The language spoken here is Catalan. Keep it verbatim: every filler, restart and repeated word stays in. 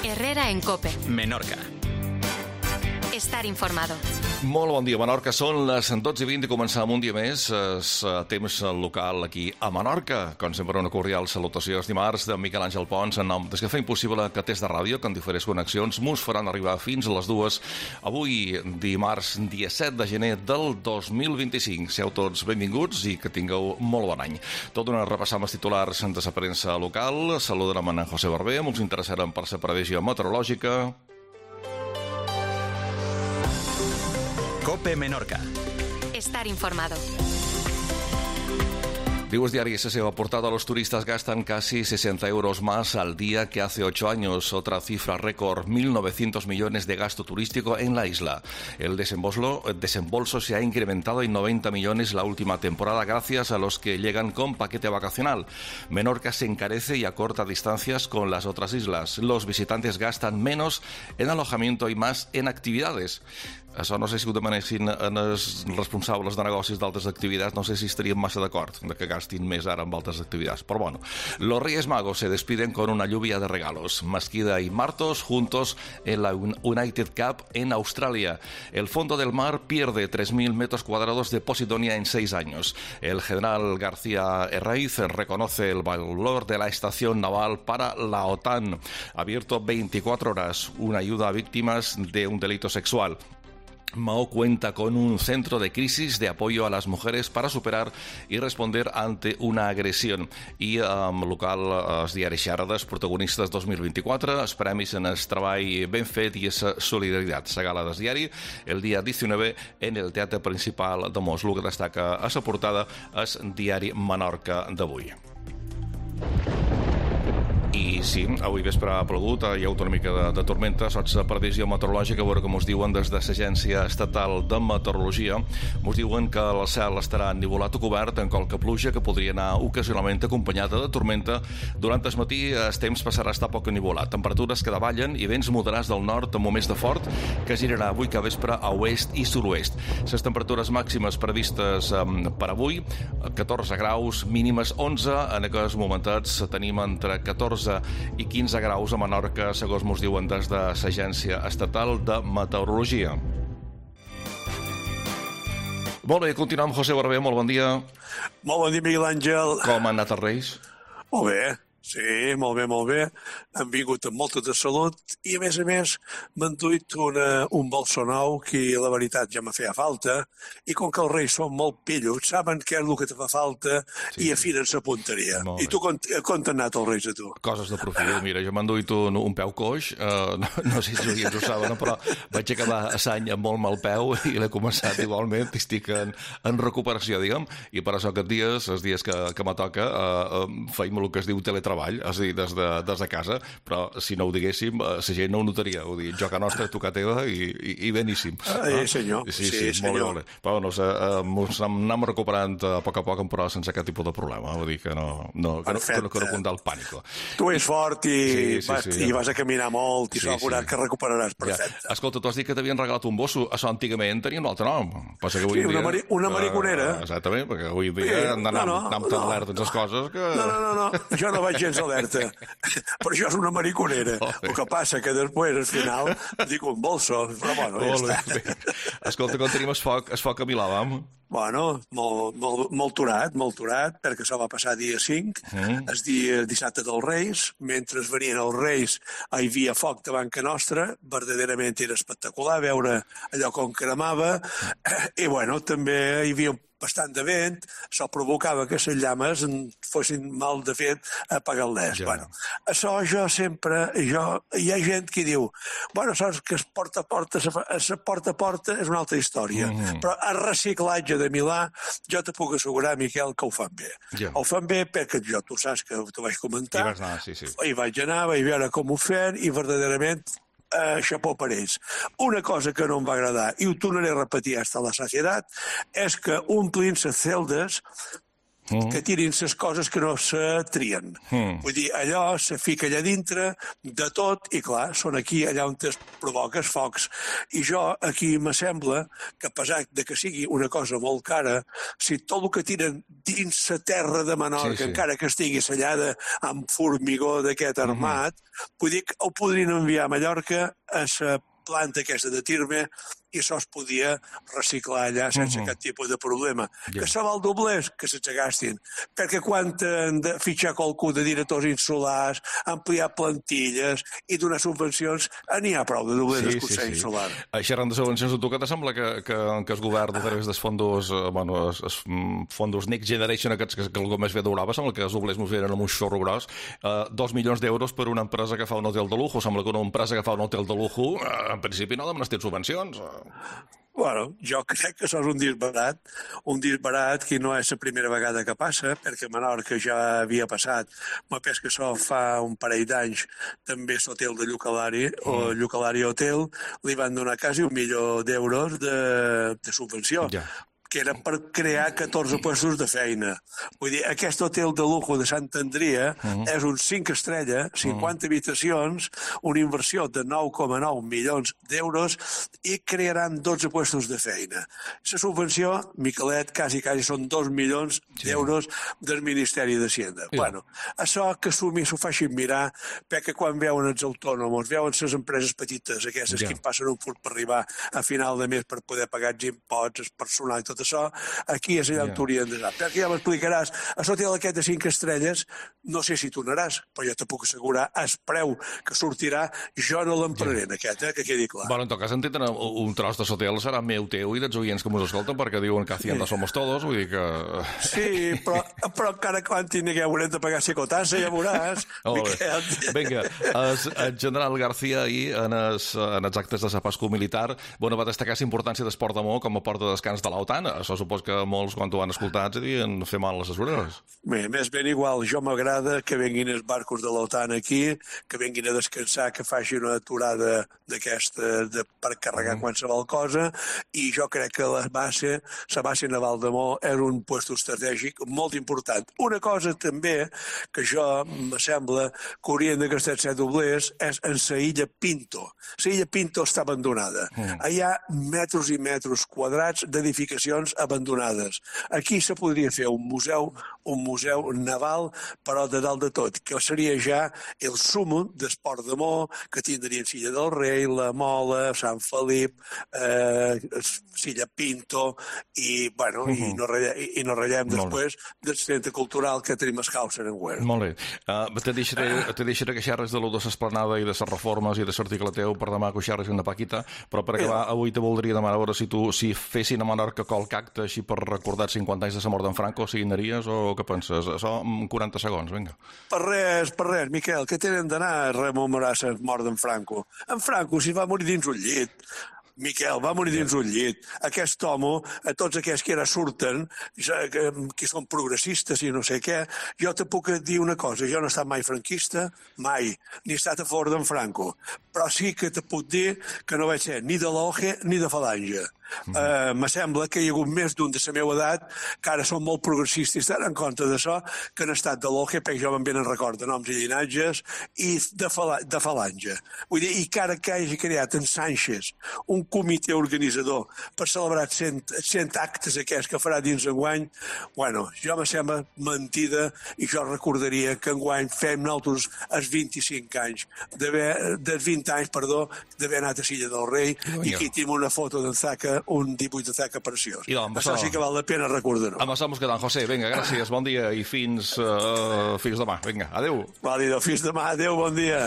Herrera en COPE. Menorca. Estar informado. Molt bon dia, Menorca. Són les dotze i vint i començam un dia més. És temps local aquí a Menorca. Com sempre, una cordial salutació. És dimarts de Miquel Àngel Pons, en nom des que fa impossible que Test de Ràdio, que en diferents connexions mos faran arribar fins a les dues. Avui, dimarts, dia set de gener del dos mil vint-i-cinc. Seu tots benvinguts i que tingueu molt bon any. Tot d'una repassar amb els titulars de la premsa local. Saludarem en José Barber. Ens interessarem per la previsió meteorològica. COPE Menorca. Estar informado. Dios Diario, S S O, portada. Los turistas gastan casi sesenta euros más al día que hace ocho años. Otra cifra récord, mil novecientos millones de gasto turístico en la isla. El desembolso, el desembolso se ha incrementado en noventa millones la última temporada gracias a los que llegan con paquete vacacional. Menorca se encarece y acorta distancias con las otras islas. Los visitantes gastan menos en alojamiento y más en actividades. Això no sé si ho demanessin els responsables de negocis d'altres activitats, no sé si estaríem massa d'acord de que gastin més ara amb altres actividades. Però bueno, los Reyes Magos se despiden con una lluvia de regalos. Masquida y Martos juntos en la United Cup en Australia. El fondo del mar pierde tres mil metros cuadrados de Posidonia en seis años. El general García Herraiz reconoce el valor de la estación naval para la OTAN. Abierto veinticuatro horas, una ayuda a víctimas de un delito sexual. Mao cuenta con un centro de crisis de apoyo a las mujeres para superar y responder ante una agresión. I um, local, els diaris Xarades, protagonistes dos mil vint-i-quatre, els premis en el treball ben fet i la solidaritat. La gala del diari, el dia diecinueve, en el Teatre Principal de Mos. El que destaca a la portada és diari Menorca d'avui. I sí, avui vespre ha plogut, hi ha una mica de, de tormenta, sots de previsió meteorològica, a veure com us diuen des de l'Agència Estatal de Meteorologia. Us diuen que el cel estarà ennivolat o cobert en qualque pluja que podria anar ocasionalment acompanyada de tormenta. Durant el matí el temps passarà a estar poc ennivolat. Temperatures que davallen i vents moderats del nord amb moments de fort que girarà avui que vespre a oest i sud-oest. Les temperatures màximes previstes um, per avui, catorze graus, mínimes onze. En aquests momentets tenim entre catorze i quinze graus a Menorca, segons mos diuen des de l'Agència Estatal de Meteorologia. Molt bé, continuem. José Barber, molt bon dia. Molt bon dia, Miguel Àngel. Com han anat els Reis? Molt bé, sí, molt bé, molt bé. Han vingut amb molta de salut i, a més a més, m'han duit una, un bolso nou que, la veritat, ja me feia falta, i com que els Reis són molt pillos, saben què és el que te fa falta, sí, i afinen sa punteria. I tu, com, com t'han anat els Reis a tu? Coses de profil. Mira, jo m'han duit un, un peu coix, uh, no, no sé si els oients ho saben, però vaig acabar a l'any amb molt mal peu i l'he començat igualment, estic en, en recuperació, diguem, i per això aquests dies, els dies que, que me toca, uh, uh, feim el que es diu teletreball, és a dir, des de, des de casa, però si no ho diguéssim, la gent no ho notaria. Ho dic, joc a nostra, tu que teva, i, i, i beníssim. Ah, eh, senyor. Sí, sí, sí, sí, senyor. molt bé. Però bueno, ens anem recuperant a poc a poc, però sense cap tipus de problema. Vull dir que no, no, que no, que no, que no comptar el pànic. Tu ets fort i, sí, sí, vas, sí, i vas a caminar molt i sí, s'ha sí. que recuperaràs perfecte. Ja. Escolta, tu has dit que t'havien regalat un bosso. Això antigament tenia un altre nom. Passa que avui sí, una, dia, mari, una mariconera. Uh, exactament, perquè avui dia sí, anem, no, no, anem tan no. alerta en les coses que... No, no, no, no, jo no vaig gens alerta. Però això és una mariconera. Oh, el que passa que després, al final, dic un bolso, però bueno, ja oh, està. Escolta, quan tenim el foc, el foc a Milà, vam? Bueno, molt, molt, molt turat, molt turat, perquè això va passar dia cinc, mm. el dia dissabte dels Reis, mentre venien els Reis hi havia foc davant que nostra, verdaderament era espectacular veure allò com cremava, i bueno, també hi havia bastant de vent, això provocava que les llames fossin mal de fet apagar-les. Ja. Bueno, això jo sempre, jo, hi ha gent que diu, bueno, saps que es porta a porta, es porta a porta és una altra història, mm-hmm. però el reciclatge de Milà, jo te puc assegurar, Miquel, que ho fan bé. Ja. Ho fan bé perquè jo, tu saps que t'ho vaig comentar, hi vas anar, sí, sí. Hi vaig anar, vaig veure com ho feien i verdaderament Uh, xapó per ells. Una cosa que no em va agradar, i ho tornaré a repetir fins a la societat, és que omplint les celdes mm. que tirin les coses que no se trien. Mm. Vull dir, allò se fica allà dintre de tot i, clar, són aquí allà on es provoques focs. I jo, aquí m'assembla que, a pesar de que sigui una cosa molt cara, si tot el que tiren dins la terra de Menorca, sí, sí. encara que estigui sellada amb formigó d'aquest armat, mm-hmm. vull dir que ho podrien enviar a Mallorca a la planta aquesta de Tirme i això es podia reciclar allà sense uh-huh. cap tipus de problema. Yeah. Que se val doblers, que se'ls gastin. Perquè quan han de fitxar qualcú de directors insulars, ampliar plantilles i donar subvencions, n'hi ha prou de doblers sí, del Consell sí, sí. Insular. Xerrant de subvencions, tu què te sembla que, que, que el govern a través dels fondos, bueno, els, els fondos Next Generation, aquests que, que algú més bé durava, sembla que els doblers ens venen amb un xorro gros, eh, dos milions d'euros per una empresa que fa un hotel de lujo. Sembla que una empresa que fa un hotel de lujo, eh, en principi no demanes subvencions. Bueno, jo crec que això és un disbarat, un disbarat que no és la primera vegada que passa, perquè a Menorca ja havia passat. M'ha pes que això fa un parell d'anys, també l'hotel de Llucalari, mm. o Llucalari Hotel, li van donar quasi un milió d'euros de, de subvenció. Ja. que era per crear catorze puestos de feina. Vull dir, aquest hotel de lujo de Sant Andria uh-huh. és un cinc estrella, cinquanta uh-huh. habitacions, una inversió de nou coma nou milions d'euros i crearan dotze puestos de feina. La subvenció, Miquelet, quasi, quasi són dos milions sí. d'euros del Ministeri d'Hacienda. Sí. Bueno, això que sumi s'ho facin mirar, perquè quan veuen els autònoms, veuen les empreses petites, aquestes ja. que passen un furt per arribar a final de mes per poder pagar els imposts, el personal i tot això, aquí és allà on t'haurien d'anar. Perquè ja m'explicaràs, a l'hotel aquest de cinc estrelles, no sé si tu anaràs, però jo te puc assegurar, el preu que sortirà, jo no l'empraré en aquest, eh, que quedi clar. Bueno, en tot cas, en tenen un tros de l'hotel serà meu, teu i dels oients que mos escolten, perquè diuen que hacienda sí. somos todos, vull dir que... Sí, però, però encara quan tingueu haurem de pagar psicotassa, ja veuràs. Vinga, el general García ahir, en els, en els actes de la Pascua Militar, bueno, va destacar la importància del Port de Mo com a port de descans de l'OTAN. Això supos que molts, quan ho han escoltat, se devien fer mal les orelles. Bé, més ben igual. Jo m'agrada que venguin els barcos de l'OTAN aquí, que venguin a descansar, que facin una aturada d'aquesta de, per carregar mm. qualsevol cosa, i jo crec que la base, la base naval de Mo és un lloc estratègic molt important. Una cosa també que jo m'assembla que haurien de gastar set doblers és en la illa Pinto. La illa Pinto està abandonada. Mm. Hi ha metres i metres quadrats d'edificacions abandonades. Aquí se podria fer un museu, un museu naval, però de dalt de tot, que seria ja el súmum d'Esport de Mo, que tindrien Silla del Rei, la Mola, Sant Felip, eh, Silla Pinto, i, bueno, uh-huh. i, no ratllem, i no ratllem després del centre cultural que tenim a Hausen en Güell. Molt bé. Uh, te, deixaré, te deixaré que xerres de lo de l'esplanada i de les reformes i de l'article teu per demà que ho xerres una paquita, però per acabar, yeah. avui te voldria demanar a veure si tu, si fessin a Menorca qualque acte així per recordar cinquanta anys de la mort d'en Franco, si hi anaries o què penses? Això en quaranta segons, vinga. Per res, per res, Miquel, que tenen d'anar a rememorar la mort d'en Franco. En Franco s'hi va morir dins un llit. Miquel, va morir dins un llit. Aquest home, a tots aquells que ara surten, que, que són progressistes i no sé què, jo te puc dir una cosa, jo no he estat mai franquista, mai, ni he estat a favor d'en Franco, però sí que te puc dir que no vaig ser ni de l'O G ni de Falange. Mm-hmm. Uh, me sembla que hi ha hagut més d'un de la meva edat que ara són molt progressistes i estan en compte d'això, que han estat de l'O G, perquè jo me'n venen record de noms i llinatges, i de, fala, de Falange. Vull dir, i que ara que hagi creat en Sánchez un comitè organitzador per celebrar cent, cent actes aquests que farà dins enguany, bueno, jo me sembla mentida, i jo recordaria que enguany fem nosaltres els vint-i-cinc anys, dels vint anys, perdó, d'haver anat a Silla del Rei, oh, i aquí tenim una foto d'en Zaca, un dibuix de Zaca preciós. I doncs, això sí que val la pena recordar-ho. Amb això mos quedam, José. Vinga, gràcies, bon dia i fins, uh, fins demà. Vinga, adéu. Vàlido, fins demà, adéu, bon dia.